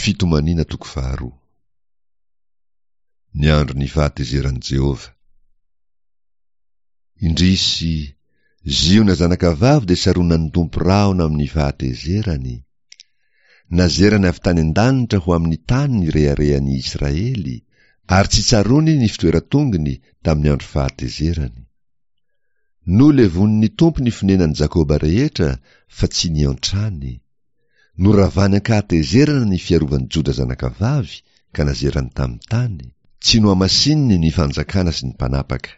Fitomaniana toko faharoa. Ny andron'ny fahatezeran'i Jehovah. Indrisy, Ziona zanakavavy dia saronan'ny Tompo rahona amin'ny fahatezerany. Nazerany avy tany an-danitra ho amin'ny tany ny reharehan'i Israely, ary tsy tsaroany ny fitoeran-tongony tamin'ny andro fahatezerany. Nolevonin'ny Tompo ny fonenan'i Jakoba rehetra fa tsy niantrany. Noravany an-kahatezerana ny fiarovan'i Joda zanakavavy ka nazerany tamin'ny tany, tsy nohamasininy ny fanjakana sy ny mpanapaka.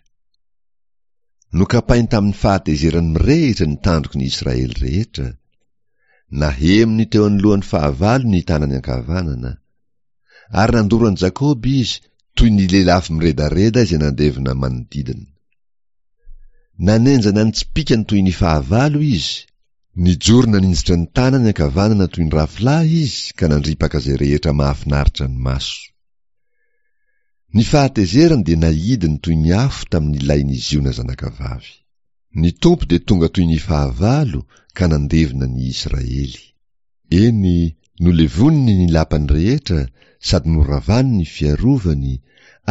Nokapainy tamin'ny fahatezerany mirehitra ny tandroky ny Israely rehetra. Nahemony teo anoloan'ny fahavalo ny tanany ankavanana. Ary nandoro an'i Jakoba izy toy ny lelafo miredareda izay nandevona manodidina. Nanenjana ny tsipìkany toy ny fahavalo izy, nijoro naninjitra ny tanany ankavanana toy ny rafilahy izy ka nandripaka izay rehetra mahafinaritra ny maso. Ny fahatezerany dia naidiny toy ny afo tamin'ny lain'i Ziona zanakavavy. Ny Tompo dia tonga toy ny fahavalo ka nandevona ny Israely. Eny, nolevoniny ny lapany rehetra sady noravany ny fiarovany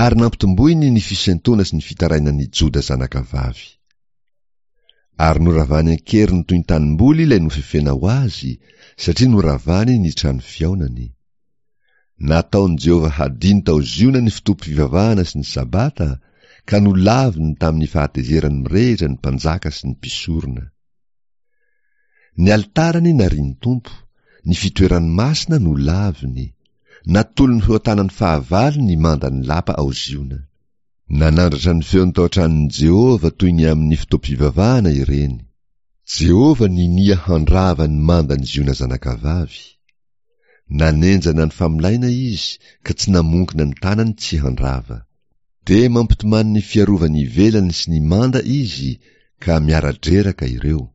ary nampitomboiny ny fisentoana sy ny fitarainan'i Joda zanakavavy. Ary noravany an-keriny toy ny tanimboly ilay nofefena ho azy, satria noravany ny trano fihaonany. Nataon'i Jehovah hadino tao Ziona ny fotoam-pivavahana sy ny Sabata, ka nolaviny tamin'ny fahatezerany mirehitra ny mpanjaka sy ny mpisorona. Ny alitarany narian'ny Tompo, ny fitoerany masina nolaviny, natolony ho eo an-tanan'ny fahavalo ny mandan'ny lapa ao Ziona. Nanandratra ny feony tao an-tranon'i Jehovah toy ny amin'ny fotoam-pivavahana ireny. Jehovah ninia handrava ny mandan'i Ziona zanakavavy. Nanenjana ny famolaina izy ka tsy namonkina ny tanany tsy handrava. Dia mampitomany ny fiarovany ivelany sy ny manda izy ka miara-dreraka ireo.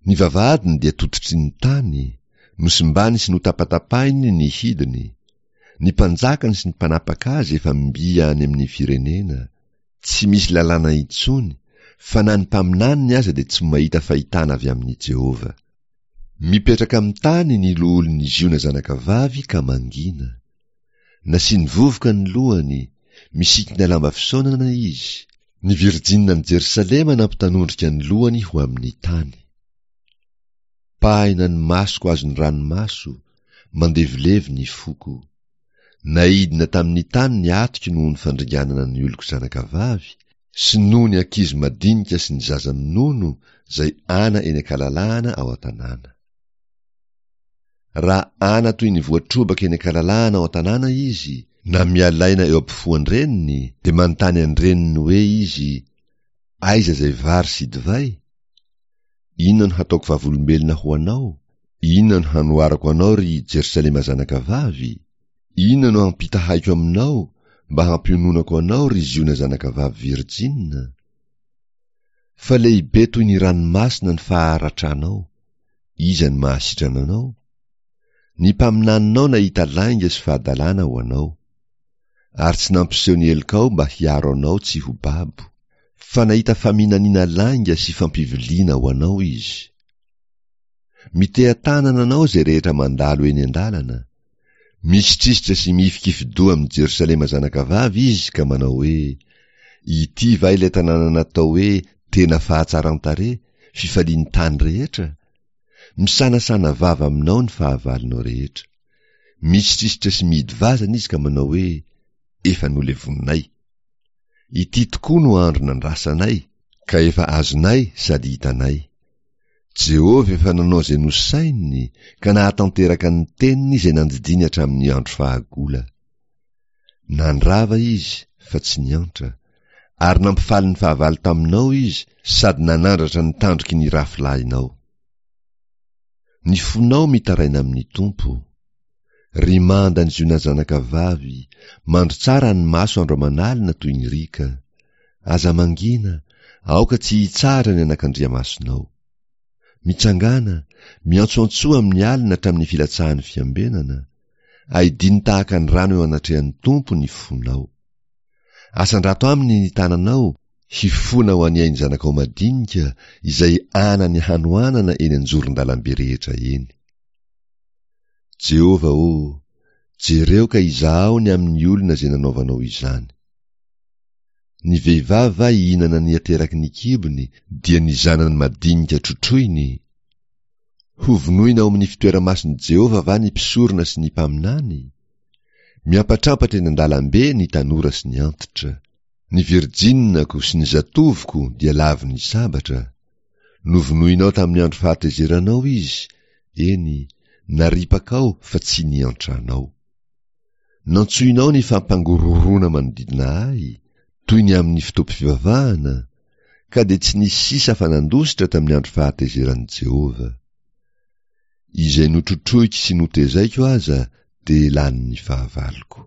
Ny vavahadiny dia tototry ny tany, nosimbany sy notapatapahiny ny hidiny. Ny mpanjakany sy ny mpanapaka azy efa mby any amin'ny firenena. Tsy misy lalàna intsony, fa na ny mpaminaniny aza dia tsy mahita fahitana avy amin'i Jehovah. Mipetraka amin'ny tany ny loholon'i Ziona zanakavavy ka mangina. Nasiany vovoka ny lohany, misikina lamba fisaonana izy. Ny virjininan'i Jerosalema nampitanondrika ny lohany ho amin'ny tany. Pahina ny masoko azon'ny ranomaso, mandevilevy ny foko. Naidina tamin'ny tany ny atiko noho ny fandringanana ny oloko zanakavavy, sy noho ny ankizy madinika sy ny zaza minono izay ana eny an-kalalahana ao an-tanàna. Raha ana toy ny voatrobaka eny an-kalalahana ao an-tanàna izy, na mialaina eo ampofoan-dreniny, dia manontany an-dreniny hoe izy, Aiza izay vary sy divay? Inona no hataoko vavolombelona ho anao? Inona no hanoharako anao, ry Jerosalema zanakavavy? Inona no hampitahaiko aminao mba hampiononako anao, ry Ziona zanakavavy virjina? Fa lehibe toy ny ranomasina ny faharatranao, iza no mahasitrana anao? Ny mpaminaninao nahita lainga sy fahadalana ho anao. Ary tsy nampiseho ny helokao mba hiaro anao tsy ho babo, fa nahita faminaniana lainga sy fampiviliana ho anao izy. Miteha-tanana anao izay rehetra mandalo eny an-dalana. Misitrisitra sy mihifikifi-doha amin'i Jerosalema zanakavavy izy ka manao hoe, Ity va ilay tanàna natao hoe tena fahatsaran-tarehy, fifalian'ny tany rehetra? Misanasana vava aminao ny fahavalonao rehetra. Misitrisitra sy mihidy vazana izy ka manao hoe, Efa nolevoninay. Ity tokoa no andro nandrasanay, ka efa azonay sady hitanay. Jehovah efa nanao izay nosaininy ka nahatanteraka ny teniny izay nandidiany hatramin'ny andro fahagola. Nandrava izy fa tsy niantra, ary nampifaly ny fahavalo taminao izy sady nanandratra ny tandroky ny rafilahinao. Ny fonao mitaraina amin'ny Tompo. Ry manda ny Ziona zanakavavy, mandro tsara ny maso andro aman'alina toy ny riaka. Aza mangina, aoka tsy hitsahatra ny anakandriamasonao. Mitsangàna, miantsoantsoa amin'ny alina hatramin'ny filatsahan'ny fiambenana. Aidino tahaka ny rano eo anatrehan'ny Tompo ny fonao. Asandrato aminy ny tananao, hifona ho an'ny ain'ny zanakao madinika izay ana ny hanoanana eny an-joron-dalambe rehetra eny. Jehovah ô, Jereo ka izahao ny amin'ny olona izay nanaovanao izany. Ny vehivavy va hihinana ny ateraky ny kibony, dia ny zanany madinika trotroiny? Hovonoina ao amin'ny fitoera-masin'i Jehovah va ny mpisorona sy ny mpaminany? Miampatrampatra eny an-dalambe ny tanora sy ny antitra. Ny virjininako sy ny zatovoko dia lavon'ny sabatra. Novonoinao tamin'ny andro fahatezeranao izy, eny, naripakao fa tsy niantranao. Nantsoinao ny fampangorohoroana manodidina ahy, toy ny amin'ny fotoam-pivavahana, ka dia tsy nisy sisa afa-nandositra tamin'ny andro fahatezeran'i Jehovah. Izay notrotroiko sy notezaiko aza dia lanin'ny fahavaloko.